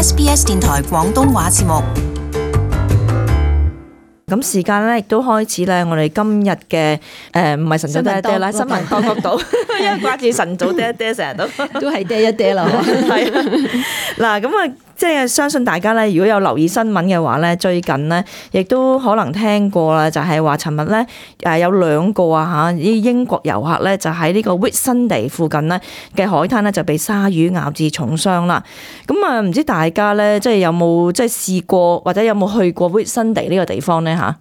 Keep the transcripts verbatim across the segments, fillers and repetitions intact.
S B S 電台廣東話節目。咁時間咧亦都開始咧，我哋今日嘅誒唔係晨早爹一爹啦，新聞多角度，因為掛住晨早爹一爹，成日都都係爹一爹啦。係嗱，咁啊，即係相信大家咧，如果有留意新聞嘅話咧，最近咧亦都可能聽過啦，就係話尋日咧誒有兩個啊嚇啲英國遊客咧，就喺呢個 Whitsunday 附近咧嘅海灘咧就被鯊魚咬至重傷啦。咁啊，唔知大家咧即係有冇即係試過或者有冇去過 Whitsunday 呢個地方咧？嚇，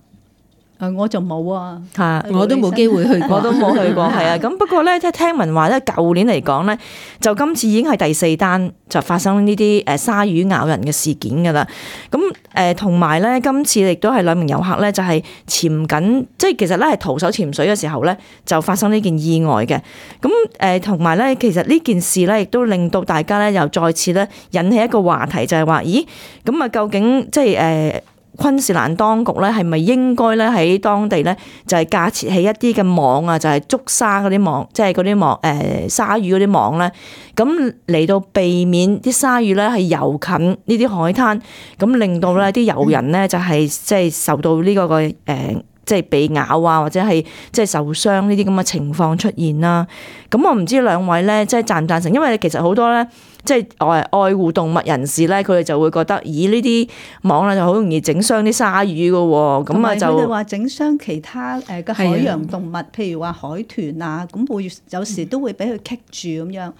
誒我就冇啊，係我都冇機會去過，我都冇去過，係啊。咁不過咧，即係聽聞話咧，舊年嚟講咧，就今次已經係第四單就發生呢啲誒鯊魚咬人嘅事件㗎啦。咁誒同埋咧，今次亦都係兩名遊客咧，就係潛緊，即係其實咧係徒手潛水嘅時候咧，就發生呢件意外嘅。咁誒同埋咧，其實呢件事咧，亦都令到大家咧又再次咧引起一個話題，就係話，咦，咁啊究竟即係誒昆士蘭當局咧係咪應該咧喺當地咧就係架設起一啲嘅網啊，就係捉鯊嗰啲網，即係嗰啲網誒鯊魚嗰啲網咧，咁嚟到避免啲鯊魚咧係游近呢啲海灘，咁令到咧啲遊人咧就係即係受到呢個嘅誒即係被咬啊，或者係即係受傷呢啲咁嘅情況出現啦。咁我唔知兩位咧即係贊唔贊成，因為其實好多咧。即係愛愛護動物人士咧，佢哋就會覺得，咦呢啲網咧就好容易整傷啲鯊魚㗎喎，咁啊就佢哋話整傷其他誒嘅海洋動物，譬如話海豚啊，咁會有時都會俾佢棘住咁樣，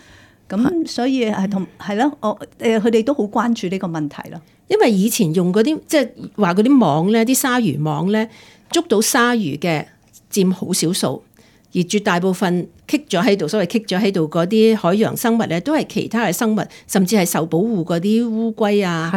咁所以係同係咯，我誒佢哋都好關注呢個問題咯。因為以前用嗰啲即係話嗰啲網咧，啲鯊魚網咧捉到鯊魚嘅佔好少數。而絕大部分棘咗喺度，所謂棘咗喺度嗰啲海洋生物咧，都係其他嘅生物，甚至係受保護嗰啲烏龜啊，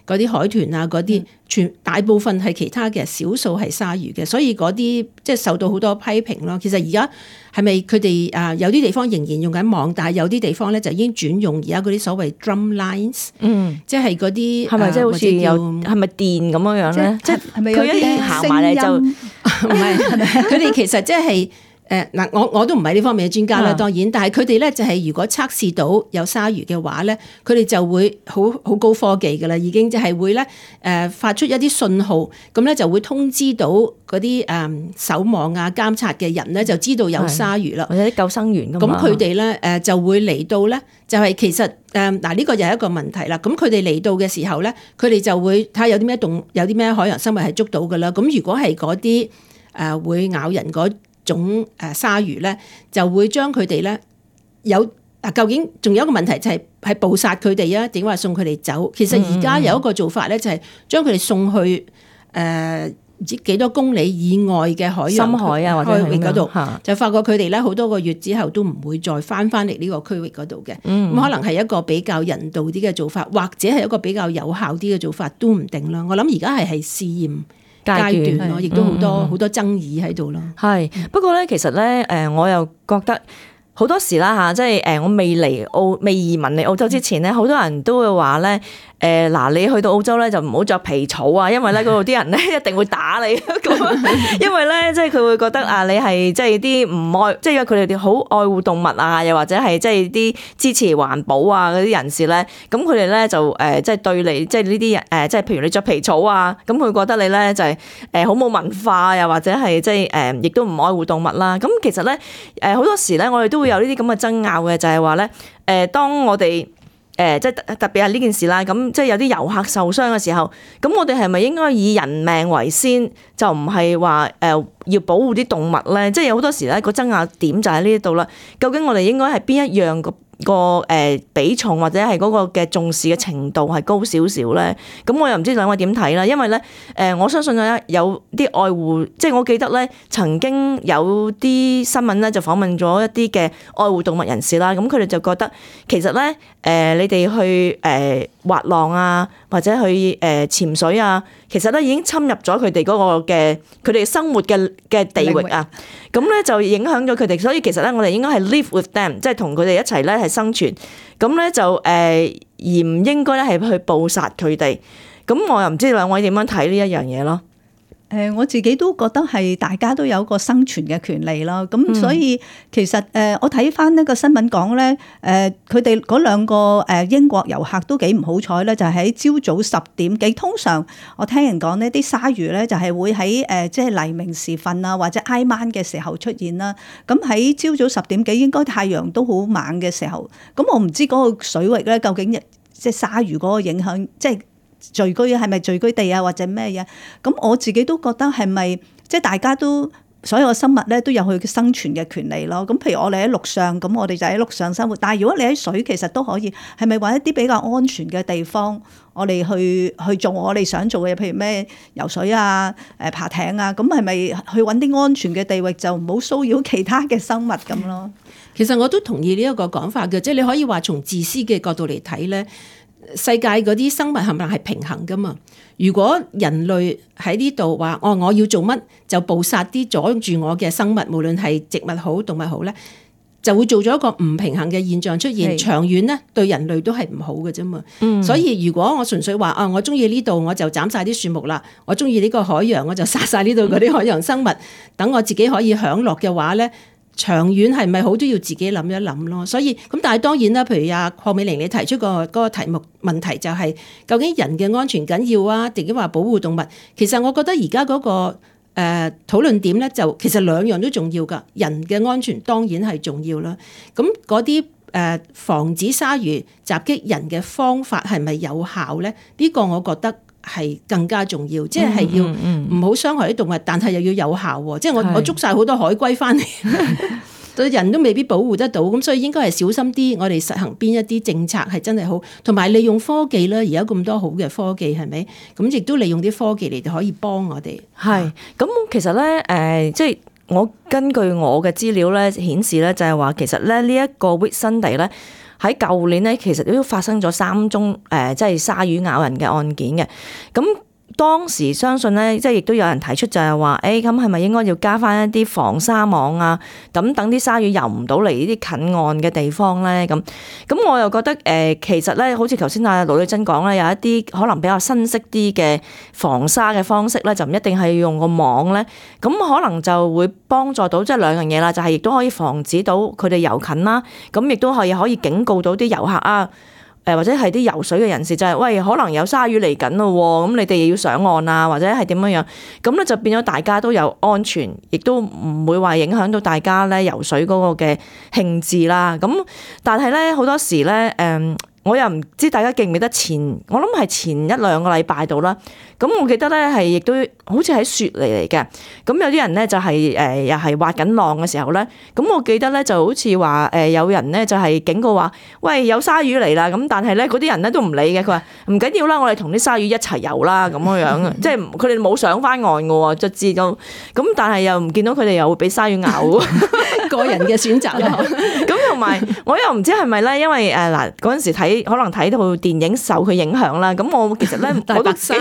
嗰啲海豚啊，嗰啲全大部分係其他嘅，少數係鯊魚嘅，所以嗰啲即係受到好多批評咯。其實而家係咪佢哋啊有啲地方仍然用緊網，但係有啲地方咧就已經轉用而家嗰啲所謂 drum lines，嗯，即係嗰啲係咪即係好似有係咪電咁樣樣咧？即係係咪有啲行埋嚟就唔係？佢哋其實即係。誒嗱，我我都唔係呢方面嘅專家啦，當然，但係佢哋咧就係如果測試到有鯊魚嘅話咧，佢哋就會好好高科技㗎啦，已經就係會咧誒發出一啲信號，咁咧就會通知到嗰啲誒守望啊監察嘅人咧，就知道有鯊魚啦，或者啲救生員咁。咁佢哋咧誒就會嚟到咧，就係其實誒嗱呢個又係一個問題啦。咁佢哋嚟到嘅時候咧，佢哋就會睇下有啲咩動有啲咩海洋生物係捉到㗎啦。咁如果係嗰啲誒會咬人嗰種誒鯊魚咧，就會將佢哋咧有啊，究竟仲有一個問題就係係捕殺佢哋啊，定話送佢哋走？其實而家有一個做法咧，就係將佢哋送去誒唔知幾多公里以外嘅海洋深海啊，或者海域嗰度，就發覺佢哋咧好多個月之後都唔會再翻翻嚟呢個區域嗰度嘅。咁、嗯、可能係一個比較人道啲嘅做法，或者係一個比較有效啲嘅做法都唔定啦。我諗而家係係試驗階段咯，亦都好多好、嗯、多爭議喺度咯。係不過咧，其實咧，誒，我又覺得好多時啦嚇，即係誒，我未嚟澳未移民嚟澳洲之前咧，好多人都會話咧。誒嗱，你去到澳洲咧就唔好着皮草啊，因為咧嗰度啲人咧一定會打你咁，因為咧即係佢會覺得啊，你係即係啲唔愛，即係因為佢哋哋好愛護動物啊，又或者係即係啲支持環保啊嗰啲人士咧，咁佢哋咧就誒即係對你即係呢啲人誒，即係譬如你着皮草啊，咁佢覺得你咧就係誒好冇文化，又或者係即係誒亦都唔愛護動物啦。咁其實咧誒好多時咧，我哋都會有呢啲咁嘅爭拗嘅，就係話咧誒，當我哋誒即係特特別係呢件事啦，咁即係有啲遊客受傷嘅時候，咁我哋係咪應該以人命為先，就唔係話誒要保護啲動物咧？即係有好多時咧個爭拗點就喺呢度啦。究竟我哋應該係邊一樣個個誒比重或者係嗰個嘅重視嘅程度係高少少咧？咁我又唔知兩位點睇啦。因為咧誒，我相信咧有啲愛護，即係我記得咧曾經有啲新聞咧就訪問咗一啲嘅愛護動物人士啦。咁佢哋就覺得其實咧誒，你哋去誒滑浪啊，或者去誒潛水啊，其實咧已經侵入咗佢哋嗰個嘅佢哋生活嘅嘅地域啊。咁咧就影響咗佢哋，所以其實咧我哋應該係 live with them，即係同佢哋一齊咧係生存。咁咧就誒而唔應該咧係去捕殺佢哋。咁我又唔知兩位點樣睇呢一樣嘢咯。誒我自己都覺得係大家都有個生存嘅權利啦，咁所以其實誒我睇翻呢個新聞講咧，誒佢哋嗰兩個誒英國遊客都幾唔好彩咧，就係喺朝早十點幾。通常我聽人講呢啲鯊魚咧就係會喺誒即係黎明時分啊，或者挨晚嘅時候出現啦。咁喺朝早十點幾，應該太陽都好猛嘅時候，咁我唔知嗰個水域咧究竟即係鯊魚嗰個影響，即係。聚居係咪聚居地啊，或者咩嘢？咁我自己都覺得係咪即係大家都所有嘅生物咧都有佢嘅生存嘅權利咯。咁譬如我哋喺陸上，咁我哋就喺陸上生活。但係如果你喺水，其實都可以係咪揾一啲比較安全嘅地方，我哋去去做我哋想做嘅嘢，譬如咩游水啊、誒爬艇啊，咁係咪去揾啲安全嘅地域，就唔好騷擾其他嘅生物咁咯？其實我都同意呢一個講法嘅，即係你可以話從自私嘅角度嚟睇咧。世界嗰啲生物係咪係平衡噶嘛？如果人類喺呢度話哦，我要做乜就捕殺啲阻住我嘅生物，無論係植物好動物好咧，就會做咗一個唔平衡嘅現象出現。長遠咧對人類都係唔好嘅啫嘛。嗯、所以如果我純粹話啊、哦，我中意呢度我就斬晒啲樹木啦，我中意呢個海洋我就殺晒呢度嗰啲海洋生物，等我自己可以享樂嘅話咧。長遠係咪好都要自己諗一諗咯？所以咁，但係當然啦，譬如阿鄺美玲你提出個嗰個題目問題就係、是、究竟人嘅安全緊要啊，定係話保護動物？其實我覺得而家嗰個誒、呃、討論點咧，就其實兩樣都重要㗎。人嘅安全當然係重要啦。咁嗰啲誒防止鯊魚襲擊人嘅方法係咪有效咧？呢、這個我覺得係更加重要，即係要唔好傷害啲動物，但係又要有效喎。即係我我捉晒好多海龜翻嚟，對人都未必保護得到，咁所以應該係小心啲。我哋實行邊一啲政策係真係好，同埋利用科技啦。而家咁多好嘅科技係咪？咁亦都利用啲科技嚟就可以幫我哋。係咁，其實咧誒、呃，即係我根據我嘅資料咧顯示咧，就係話其實咧呢一個 Whitsunday 咧。喺舊年咧，其實都發生咗三宗誒、呃，即係鯊魚咬人嘅案件嘅。咁當時相信咧，即係亦都有人提出就係話，誒咁係咪應該要加翻一啲防鯊網啊？咁等啲鯊魚游唔到嚟呢啲近岸嘅地方咧？咁咁我又覺得誒、呃，其實咧，好似頭先阿盧女珍講咧，有一啲可能比較新式啲嘅防鯊嘅方式咧，就唔一定係用個網咧。咁可能就會幫助到即係兩樣嘢啦，就係亦都可以防止到佢哋游近啦。咁亦都係可以警告到啲遊客啊。誒或者係啲游水嘅人士就係、是、喂，可能有鯊魚嚟緊咯，咁你哋要上岸啊，或者係點樣樣，咁咧就變咗大家都有安全，亦都唔會話影響到大家咧游水嗰個嘅興致啦。咁但係咧好多時咧誒。我又唔知大家記唔記得前，我諗係前一兩個禮拜度啦。咁我記得咧係亦都好似喺雪梨嚟嘅。咁有啲人咧就係誒又係滑緊浪嘅時候咧。咁我記得咧就好似話誒有人咧就係警告話，喂，有鯊魚嚟啦。咁但係咧嗰啲人咧都唔理嘅。佢話唔緊要啦，我哋同啲鯊魚一齊游啦咁樣樣。即係佢哋冇上翻岸嘅喎，就知道。咁但係又唔見到佢哋又會俾鯊魚咬。個人嘅選擇啦。咁同埋我又唔知係咪咧，因為誒嗱嗰陣時睇可能睇到電影受佢影響啦。咁我其實咧大白鯊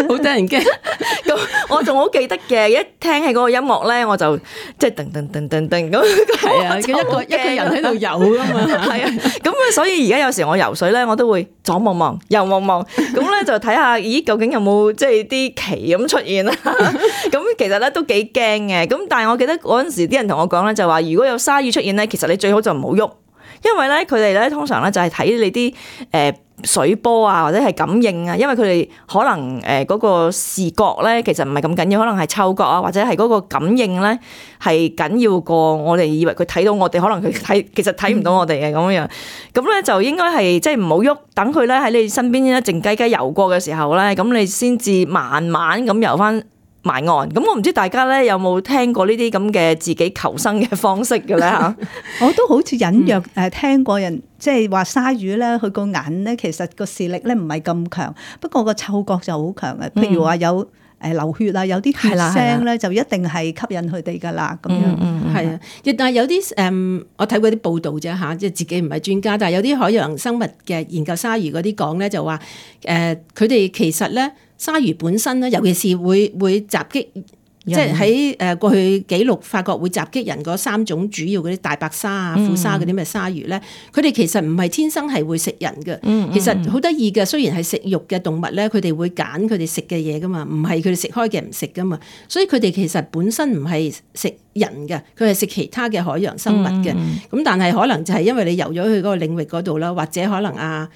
好得人驚。咁我仲好記得嘅，一聽起嗰個音樂咧，我就即係噔噔噔噔噔咁。係啊，一個一個人喺度游噶嘛。係啊，咁所以而家有時我游水咧，我都會左望望右望望，咁咧就睇下，咦究竟有冇即係啲鰭咁出現啦？咁其實咧都幾驚嘅。咁但係我記得嗰陣時啲人同我講咧，就話如果有鯊魚出現咧，其實你最好就唔好喐，因為咧佢哋咧通常咧就係睇你啲誒水波啊，或者係感應啊，因為佢哋可能誒嗰個視覺咧其實唔係咁緊要，可能係嗅覺啊，或者係嗰個感應咧係緊要過我哋以為佢睇到我哋，可能佢睇其實睇唔到我哋嘅咁樣。咁咧就應該係即係唔好喐，等佢咧喺你身邊咧靜雞雞游過嘅時候咧，咁你先至慢慢咁游翻埋岸。咁我唔知大家咧有冇聽過呢啲咁嘅自己求生嘅方式嘅咧嚇？我都好似隱約誒聽過人即係話鯊魚咧，佢個眼咧其實個視力咧唔係咁強，不過個嗅覺就好強嘅。譬如話有誒流血啊，有啲血腥咧，就一定係吸引佢哋噶啦咁樣。係啊，亦但係有啲誒，我睇過啲報道啫嚇，即係自己唔係專家，但係有啲海洋生物嘅研究鯊魚嗰啲講咧，就話誒佢哋其實咧鯊魚本身咧，尤其是會會襲擊即係喺誒過去記錄發覺會襲擊人嗰三種主要嗰啲大白鯊啊、虎鯊嗰啲咩鯊魚咧，佢哋其實唔係天生係會食人嘅。嗯嗯、其實好得意嘅，雖然係食肉嘅動物咧，佢哋會揀佢哋食嘅嘢噶嘛，唔係佢哋食開嘅唔食噶嘛。所以佢哋其實本身唔係食人嘅，佢係食其他嘅海洋生物嘅。咁、嗯嗯、但係可能就係因為你游咗去嗰個領域嗰度啦，或者可能啊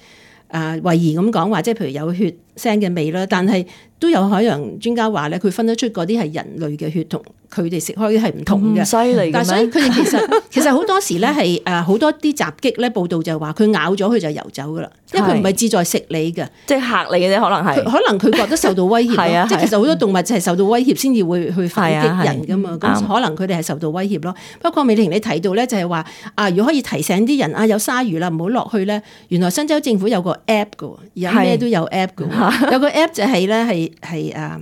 啊慧儀咁講話，即係譬如有血腥嘅味啦，但係都有海洋專家話咧，佢分得出嗰啲係人類嘅血同佢哋食開係唔同嘅。犀利嘅咩？但係所以佢哋其實其實好多時咧係誒好多啲襲擊咧報道就係話佢咬咗佢就游走噶啦，因為佢唔係志在食你嘅，即係嚇你嘅啫，可能係。可能佢覺得受到威脅咯，即係其實好多動物就係受到威脅先至會去反擊人噶嘛，咁可能佢哋係受到威脅咯。不過美玲你提到咧就係話啊，如果可以提醒啲人啊有鯊魚啦唔好落去咧，原來新州政府有個 app 嘅，而家咩都有 app 嘅，有個 app 就係咧係係誒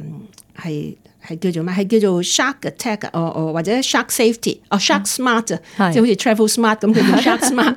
係。係叫做咩？係叫做 Shark Attack 哦哦，或者 Shark Safety 哦 Shark Smart 啊，即係好似 Travel Smart 咁，佢叫 Shark Smart。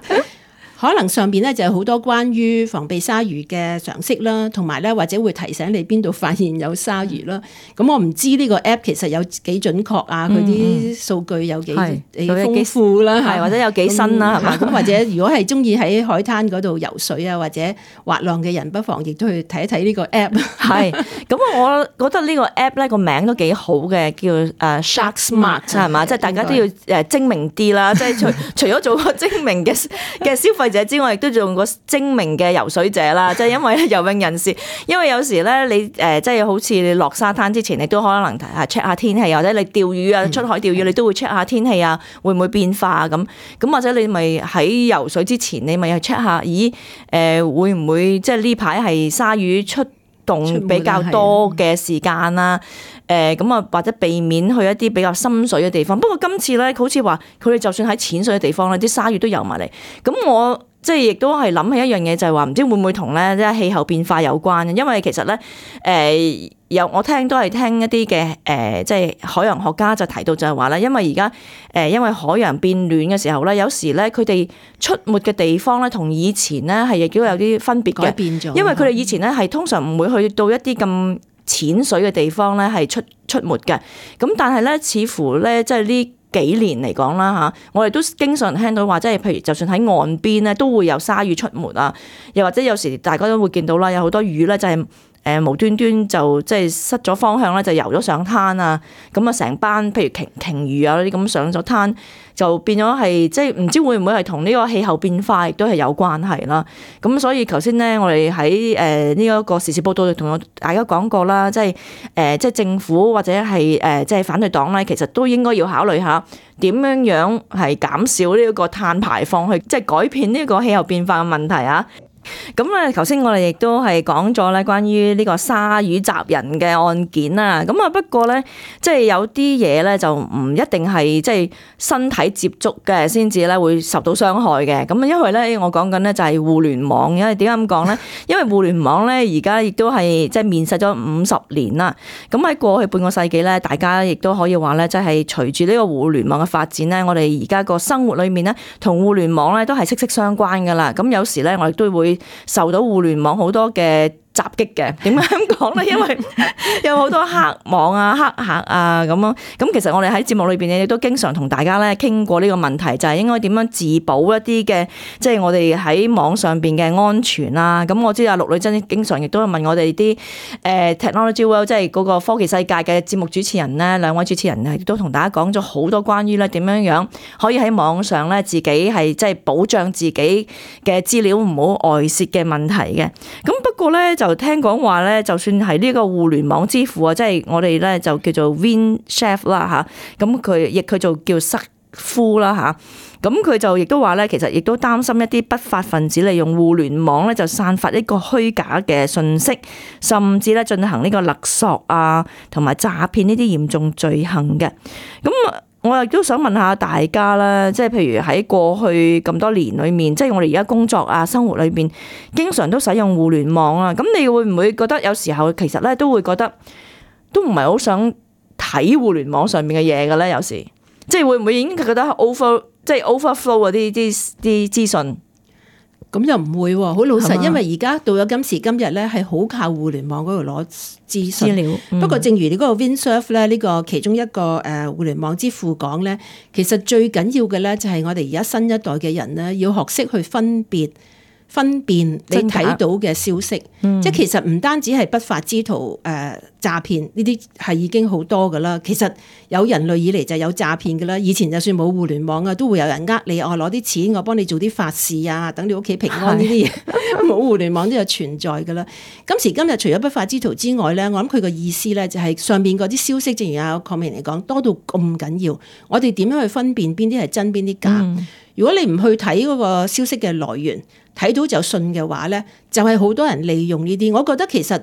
可能上邊咧就有好多關於防備鯊魚嘅常識啦，同埋咧或者會提醒你邊度發現有鯊魚啦。咁、嗯、我唔知呢個 app 其實有幾準確啊，佢啲數據有幾幾豐富啦，係或者有幾新啦，係嘛？咁或者如果係中意喺海灘嗰度游水啊，或者滑浪嘅人，不妨亦都去睇一睇呢個 app。係，咁我覺得呢個 app 咧個名都幾好嘅，叫誒 Shark Smart 係嘛？即係大家都要誒精明啲啦，即係除除咗做個精明嘅嘅消費者之外，亦都做個精明嘅游水者啦。即係因為游泳人士，因為有時咧你誒即係好似你落沙灘之前，你都可能係 check 下天氣，或者你釣魚啊，出海釣魚你都會 check 下天氣啊，會唔會變化啊咁咁，或者你咪喺游水之前，你咪去 check 下，咦誒會唔會即係呢排係鯊魚出動比較多嘅時間啦？誒咁啊，或者避免去一啲比較深水嘅地方。不過今次咧，好似話佢哋就算喺淺水嘅地方咧，啲鯊魚都游埋嚟。咁我即係亦都係諗起一樣嘢，就係話唔知會唔會同咧即係氣候變化有關。因為其實咧誒、呃、有我聽都係聽一啲嘅誒，即係海洋學家就提到就係話咧，因為而家誒因為海洋變暖嘅時候咧，有時咧佢哋出沒嘅地方咧，同以前咧係亦都有啲分別嘅，改變咗。因為佢哋以前咧係通常唔會去到一啲咁淺水嘅地方咧係出出沒嘅，咁但係咧似乎咧即係呢幾年嚟講啦嚇，我哋都經常聽到話，即係譬如就算喺岸邊咧都會有鯊魚出沒啊，又或者有時大家都會見到啦，有好多魚咧就係誒無端端就即係失咗方向咧，就游咗上灘啊，咁啊成班譬如鯨鯨魚啊嗰啲咁上咗灘，就變咗係即係唔知會唔會係同呢個氣候變化亦都係有關係啦。咁所以頭先咧，我哋喺誒呢一個時事報道同大家講過啦，即係誒即係政府或者係誒即係反對黨咧，其實都應該要考慮下點樣樣係減少呢一個碳排放，去即係改變呢個氣候變化嘅問題啊。咁咧，頭先我哋亦都係講咗咧關於呢個鯊魚襲人嘅案件啦。咁啊，不過咧，即係有啲嘢咧就唔一定係即係身體接觸嘅先至咧會受到傷害嘅。咁啊，因為咧我講緊咧就係互聯網，因為點解咁講咧？因為互聯網咧而家亦都係即係面世咗五十年啦。咁喺過去半個世紀咧，大家亦都可以話咧，即係隨住呢個互聯網嘅發展咧，我哋而家個生活裏面咧同互聯網咧都係息息相關噶啦。咁有時咧我哋都會受到互聯網好多嘅襲擊嘅。點解咁講咧？因為有好多黑網啊、黑客啊咁樣。咁其實我哋喺節目裏邊咧，亦都經常同大家咧傾過呢個問題，就係應該點樣自保一啲嘅，即係我哋喺網上邊嘅安全啦。咁我知阿陸女真經常亦都問我哋啲誒 Technology World，即係嗰個科技世界嘅節目主持人咧，兩位主持人亦都同大家講咗好多關於咧點樣樣可以喺網上咧自己係即係保障自己嘅資料唔好外泄嘅問題嘅。咁不過咧就聽講話咧，就算係呢個互聯網之父啊，即係我哋咧就叫做 Vin Cerf 啦嚇，咁佢亦佢就叫瑟夫啦嚇，咁佢就亦都話咧，其實亦都擔心一啲不法分子利用互聯網咧，就散發一個虛假嘅信息，甚至咧進行呢個勒索啊，同埋詐騙呢啲嚴重罪行嘅。咁我亦都想問下大家啦，即係譬如喺過去咁多年裏面，即係我哋而家工作啊、生活裏邊，經常都使用互聯網啊。咁你會唔會覺得有時候其實咧都會覺得都唔係好想睇互聯網上面嘅嘢嘅咧？有時即係會唔會已經覺得 over 即係 overflow 嗰啲啲啲資訊？咁又唔會喎，好老實，係嘛因為而家到咗今時今日咧，係好靠互聯網嗰度攞資訊資料。嗯不過正如你嗰個 Windsurf 咧，呢個其中一個誒互聯網之父講咧，其實最緊要嘅咧就係我哋而家新一代嘅人咧，要學識去分別。分辨你睇到嘅消息，嗯、即係其實唔單止係不法之徒誒詐騙呢啲係已經好多噶啦。其實有人類以嚟就有詐騙噶啦。以前就算冇互聯網啊，都會有人呃你，我攞啲錢，我幫你做啲法事啊，等你屋企平安呢啲嘢。冇互聯網都有存在噶啦。今時今日除咗不法之徒之外咧，我諗佢個意思咧就係上邊嗰啲消息，正如阿鄺美玲嚟講，多到咁緊要，我哋點樣去分辨邊啲係真邊啲假？嗯、如果你唔去睇嗰個消息嘅來源，睇到就信嘅話咧，就係、是、好多人利用呢啲。我覺得其實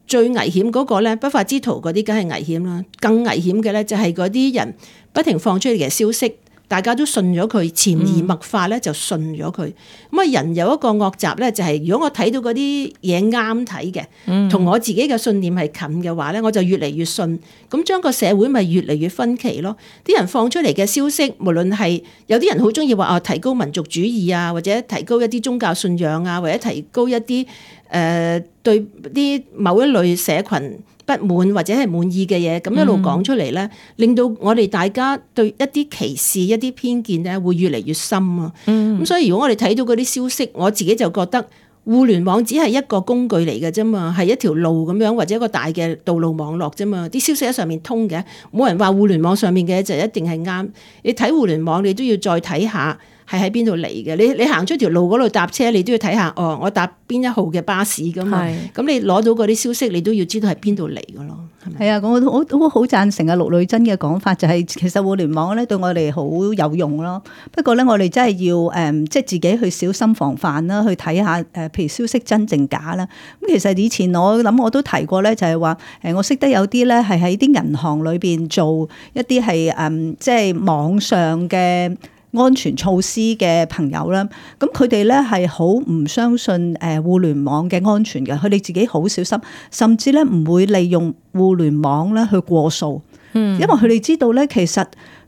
最危險嗰個咧，不法之徒嗰啲梗係危險啦。更危險嘅咧就係嗰啲人不停放出嚟嘅消息，大家都信咗佢，潛移默化咧就信咗佢。咁啊，人有一個惡習咧，就係、是、如果我睇到嗰啲嘢啱睇嘅，同我自己嘅信念係近嘅話咧，我就越嚟越信。咁將個社會咪越嚟越分歧咯。啲人放出嚟嘅消息，無論係有啲人好中意話啊，提高民族主義啊，或者提高一啲宗教信仰啊，或者提高一啲誒、呃、對啲某一類社群不滿或者係滿意嘅嘢，咁一路講出嚟咧，嗯、令到我哋大家對一啲歧視、一啲偏見咧，會越嚟越深啊！咁、嗯、所以如果我哋睇到嗰啲消息，我自己就覺得互聯網只係一個工具嚟嘅啫嘛，係一條路咁樣，或者一個大嘅道路網絡啫嘛。啲消息喺上面通嘅，冇人話互聯網上面嘅就一定係啱。你睇互聯網，你都要再睇下係喺邊度嚟嘅。你你行出條路嗰度搭車，你都要睇下哦，我搭邊一號嘅巴士噶嘛。咁是你攞到嗰啲消息，你都要知道係邊度嚟嘅咯。係啊，我我都好贊成啊陸女真嘅講法，就係、是、其實互聯網咧對我哋好有用咯。不過咧，我哋真係要誒、嗯，即係自己去小心防範啦，去睇下誒，譬如消息真定假啦。咁其實以前我諗我都提過咧，就係話誒，我識得有啲咧係喺啲銀行裏邊做一啲係誒，即係網上嘅安全措施嘅朋友啦，咁佢哋咧係好唔相信誒互聯網嘅安全嘅，佢哋自己好小心，甚至咧唔會利用互聯網咧去過數，嗯，因為佢哋知道咧，其實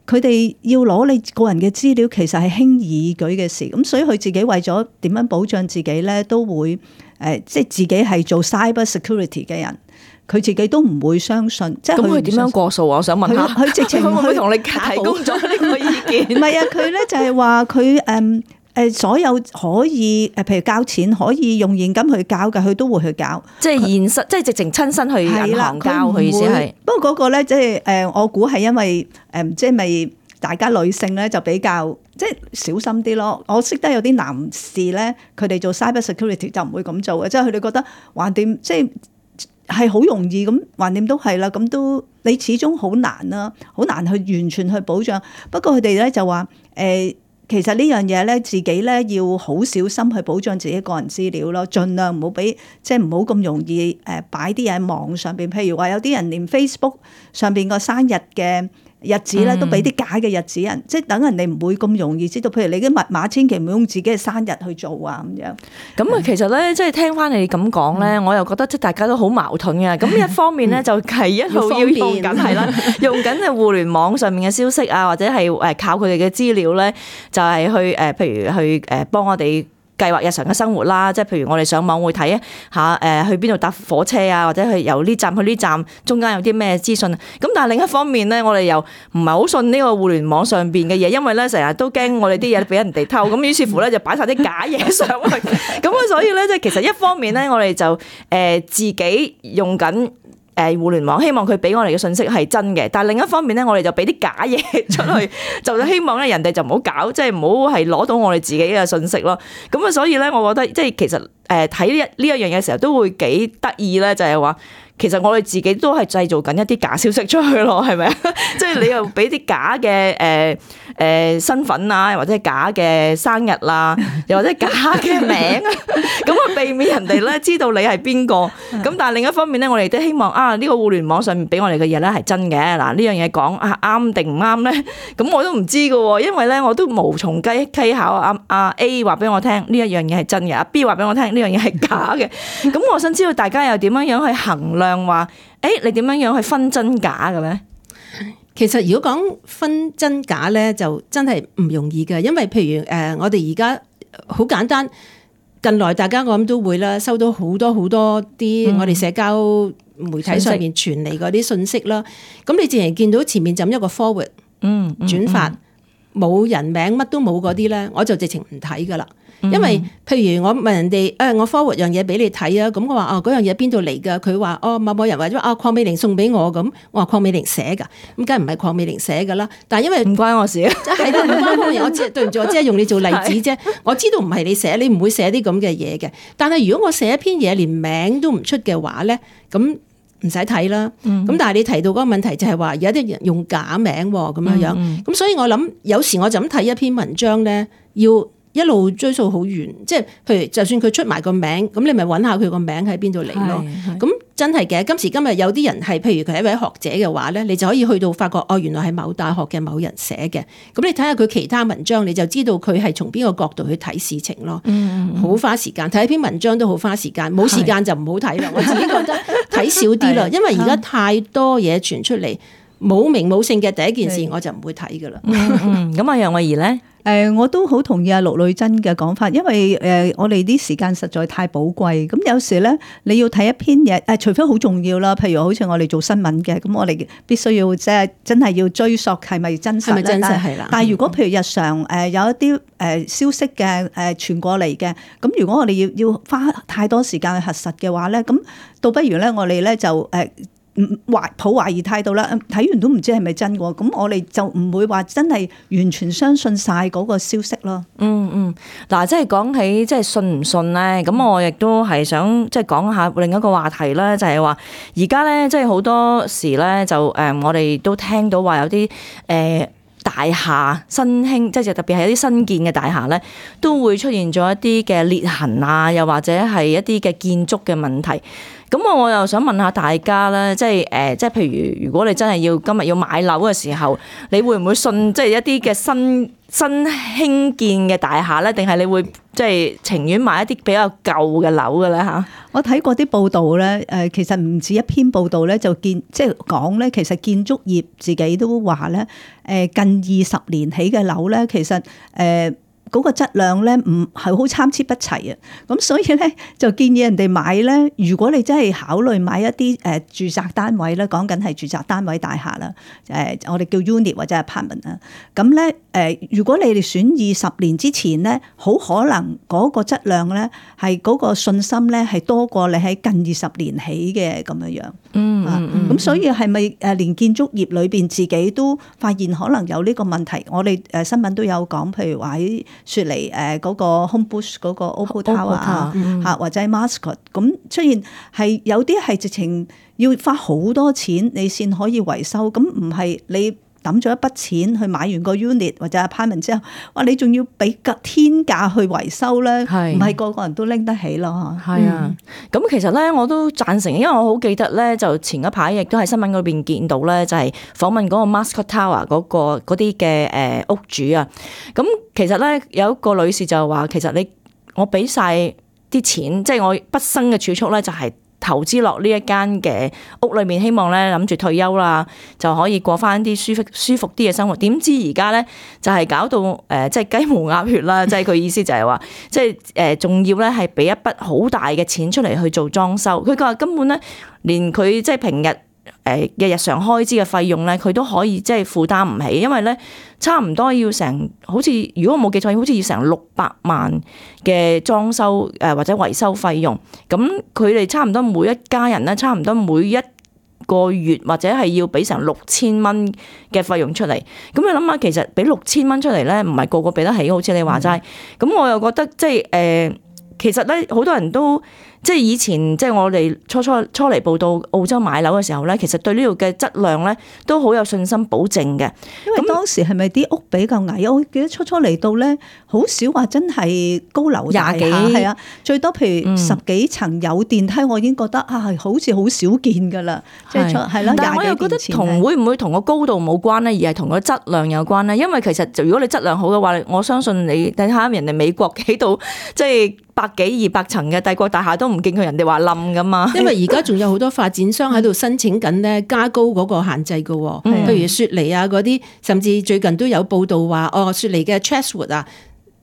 佢哋要攞你個人嘅資料，其實係輕而易舉嘅事，咁所以佢自己為咗點樣保障自己咧，都會誒即係自己係做 cyber security 嘅人。佢自己都唔會相信，即係咁佢點樣過數啊？我想問下，佢直情會唔會同你提供咗呢個意見？唔係啊，佢咧就係話佢誒誒所有可以誒，譬如交錢可以用現金去交嘅，佢都會去交。即係現實，即係直情親身去銀行交。佢意思係，不過嗰個咧，即係誒，我估係因為誒，即係咪大家女性咧就比較即係小心啲咯。我識得有啲男士咧，佢哋做 cyber security 就唔會咁做嘅，即係佢哋覺得橫掂即係。係好容易咁，橫掂都係啦。咁都你始終好難啦，好難去完全去保障。不過佢哋咧就話誒、呃，其實呢樣嘢咧，自己咧要好小心去保障自己個人資料咯，盡量唔好俾即係唔好咁容易誒擺啲嘢喺網上邊。譬如話有啲人連 Facebook 上邊個生日嘅日子咧，都俾啲假嘅日子人，嗯、即係等人哋唔會咁容易知道。譬如你啲密碼，千祈唔好用自己嘅生日去做啊咁樣。咁啊，其實咧，即係聽翻你咁講咧，我又覺得即係大家都好矛盾嘅。咁一方面咧，就係一路要用緊係啦，用緊嘅互聯網上面嘅消息啊，或者係誒靠佢哋嘅資料咧，就係去誒，譬如去誒幫我哋計劃日常嘅生活啦，即係譬如我哋上網會睇下誒去邊度搭火車啊，或者去由呢站去呢站中間有啲咩資訊。咁但係另一方面咧，我哋又唔係好信呢個互聯網上邊嘅嘢，因為咧成日都驚我哋啲嘢俾人哋偷，咁於是乎咧就擺晒啲假嘢上去。咁啊，所以咧即係其實一方面咧，我哋就誒自己用緊誒互聯網，希望佢俾我哋嘅信息係真嘅，但係另一方面咧，我哋就俾啲假嘢出去，就希望咧人哋就唔好搞，即係唔好係攞到我哋自己嘅信息咯。咁啊，所以咧，我覺得即係其實誒睇呢一呢一樣嘢嘅時候，都會幾得意咧，就係話其實我哋自己都係製造緊一啲假消息出去咯，係咪啊？即係你又俾啲假嘅誒誒身份啊，或者係假嘅生日啦，又或者假嘅名啊，咁啊避免人哋咧知道你係邊個。咁但係另一方面咧，我哋都希望啊呢個互聯網上面俾我哋嘅嘢咧係真嘅。嗱呢樣嘢講啊啱定唔啱咧？咁我都唔知噶喎，因為咧我都無從稽稽考。阿阿 A 話俾我聽呢一樣嘢係真嘅，阿 B 話俾我聽呢樣嘢係假嘅。咁我想知道大家又點樣樣去衡量話，誒你點樣樣去分真假嘅咧？其實如果講分真假咧，就真係唔容易嘅，因為譬如誒、呃，我哋而家好簡單，近來大家我諗都會啦，收到好多好多啲我哋社交媒體上面傳嚟嗰啲信息啦。咁、嗯、你自然見到前面就一個 forward，嗯，轉發冇人名乜都冇嗰啲咧，我就直情唔睇噶啦。因為譬如我問人哋誒、哎，我 forward 樣嘢俾你睇啊，咁我話哦，嗰樣嘢邊度嚟㗎？佢話哦，某某人或者啊，鄺美玲送俾我咁，我話鄺美玲寫㗎，咁梗係唔係鄺美玲寫㗎啦？但係因為唔關我事啊，係啦，唔關我事，我只對唔住，我只係用你做例子啫。我知道唔係你寫，你唔會寫啲咁嘅嘢嘅。但係如果我寫一篇嘢連名都唔出嘅話咧，咁唔使睇啦。咁、嗯、但係你提到嗰個問題就係話，而家啲人用假名咁樣樣，咁、嗯嗯、所以我諗有時我就咁睇一篇文章咧，要一路追溯好遠，即係譬如就算佢出埋個名，咁你咪揾下佢個名喺邊度嚟咯。咁真係嘅，今時今日有啲人係譬如佢係一位學者嘅話咧，你就可以去到發覺哦，原來係某大學嘅某人寫嘅。咁你睇下佢其他文章，你就知道佢係從邊個角度去睇事情咯。嗯，好花時間睇一篇文章都好花時間，冇時間就唔好睇啦。我自己覺得睇少啲啦，因為而家太多嘢傳出嚟，冇名冇姓嘅第一件事我就唔會睇噶啦。嗯，咁啊楊慧儀咧？誒、呃，我都好同意阿陸女真嘅講法，因為誒、呃，我哋啲時間實在太寶貴。咁有時咧，你要睇一篇嘢，誒、呃，除非好重要啦，譬如好似我哋做新聞嘅，咁我哋必須要即係真係要追溯係咪真實咧？係咪真實係啦？但係如果譬如日常誒有一啲誒消息嘅誒傳過嚟嘅，咁如果我哋要要花太多時間去核實嘅話咧，咁倒不如咧我哋咧就誒。呃懷抱懷疑態度啦，睇完都唔知係咪真嘅，咁我哋就唔會話真係完全相信晒嗰個消息咯。嗯嗯，嗱，即係講起即係信唔信咧，咁我亦都係想即係講下另一個話題咧，就係話而家咧即係好多時咧就誒，我哋都聽到話有啲誒大廈新興，即係特別係一啲新建嘅大廈咧，都會出現咗一啲嘅裂痕啊，又或者係一啲嘅建築嘅問題。咁我我又想問下大家咧，即係誒，即係譬如如果你真係要今日要買樓嘅時候，你會唔會信即係一啲嘅新新興建嘅大廈咧？定係你會即係情願買一啲比較舊嘅樓嘅咧嚇？我睇過啲報道咧，誒其實唔止一篇報道咧，就見即係講咧，其實建築業自己都話咧，誒近二十年起嘅樓咧，其實誒。嗰個質量咧唔係好參差不齊啊，咁所以咧就建議人哋買咧，如果你真係考慮買一啲誒住宅單位咧，講緊係住宅單位大廈啦，誒我哋叫 unit 或者 apartment 啊，咁咧誒如果你哋選二十年之前咧，好可能嗰個質量咧係嗰個信心咧係多過你喺近二十年起嘅咁樣樣。嗯嗯嗯。咁所以係咪誒連建築業裏邊自己都發現可能有呢個問題？我哋誒新聞都有講，譬如話喺雪梨誒嗰個 Homebush 嗰個 Opal Tower 啊嚇，或者 Mascot 咁出現係有啲係直情要花好多錢你先可以維修，咁唔係你抌咗一筆錢去買完個 unit 或者 apartment 之後，哇你仲要俾個天價去維修咧，唔係個個人都拎得起咯。係啊，咁、嗯、其實咧我都贊成，因為我好記得咧，就前一排亦都喺新聞嗰邊見到咧，就係訪問嗰個 Mascot Tower 嗰個嗰啲嘅誒屋主啊。咁其實咧有一個女士就話，其實你我俾晒啲錢，即係我畢生嘅儲蓄咧，就係投資落呢一間嘅屋裏面，希望咧諗住退休啦，就可以過翻啲舒服舒服啲嘅生活。點知而家咧就係搞到誒，即係雞毛鴨血啦！即係佢意思就係話，即係誒，仲要咧係俾一筆好大嘅錢出嚟去做裝修。佢話根本咧，連佢即係平日誒嘅日常開支嘅費用咧，佢都可以即係負擔唔起，因為咧差唔多要成好似如果我冇記錯，好似要成六百萬嘅裝修誒或者維修費用。咁佢哋差唔多每一家人咧，差唔多每一個月或者係要俾成六千蚊嘅費用出嚟。咁你諗下，其實俾六千蚊出嚟咧，唔係個個俾得起，好似你話齋。咁、嗯、我又覺得即係誒、呃，其實咧好多人都。即係以前，即係我哋初初初嚟報到澳洲買樓嘅時候咧，其實對呢度嘅質量咧都好有信心保證嘅。因為當時係咪啲屋比較矮？我記得初初嚟到咧，好少話真係高樓大廈，係啊，最多譬如十幾層有電梯，我已經覺得啊，好似好少見㗎啦。即係係啦，但係我又覺得同會唔會同個高度冇關咧，而係同個質量有關咧。因為其實就如果你質量好嘅話，我相信你睇下人哋美國幾度即係。百幾二百層嘅帝國大廈都唔見佢人哋話冧噶嘛，因為而家仲有好多發展商喺度申請緊咧加高嗰個限制噶，譬如雪梨啊嗰啲，甚至最近都有報道話，哦雪梨嘅 Chatswood 啊，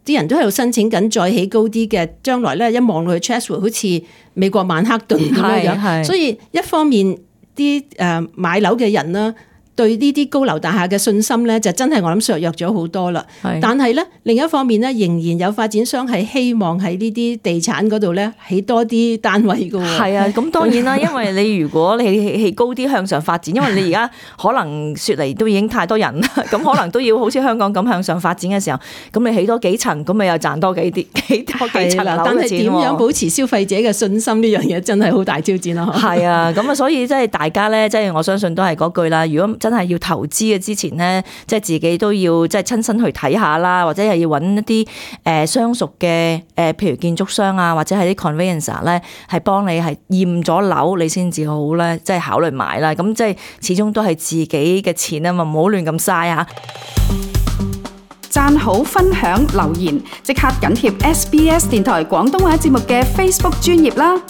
啲人都喺度申請緊再起高啲嘅，將來咧一望落去 Chatswood 好似美國曼克頓咁樣樣，所以一方面啲誒買樓嘅人啦，對呢啲高樓大廈嘅信心咧，就真係我諗削弱咗好多啦。但係咧另一方面咧，仍然有發展商係希望喺呢啲地產嗰度咧起多啲單位㗎喎。係啊，咁當然啦，因為你如果你起起高啲向上發展，因為你而家可能雪梨都已經太多人啦，咁可能都要好似香港咁向上發展嘅時候，咁你起多幾層，咁咪又賺多幾啲幾多幾層樓嘅錢喎。但係點樣保持消費者嘅信心呢樣嘢真係好大挑戰咯。係啊，咁啊，所以即係大家咧，即係我相信都係嗰句啦。如果真係要投資嘅之前咧，即係自己都要即係親身去睇下啦，或者係要揾一啲誒相熟嘅誒，譬如建築商啊，或者係啲 conveyancer 咧，係幫你係驗咗樓，你先至好咧，即係考慮買啦。咁即係始終都係自己嘅錢啊嘛，唔好亂咁嘥啊！讚好、分享、留言，即刻緊貼 S B S 電台廣東話節目嘅 Facebook 專頁啦！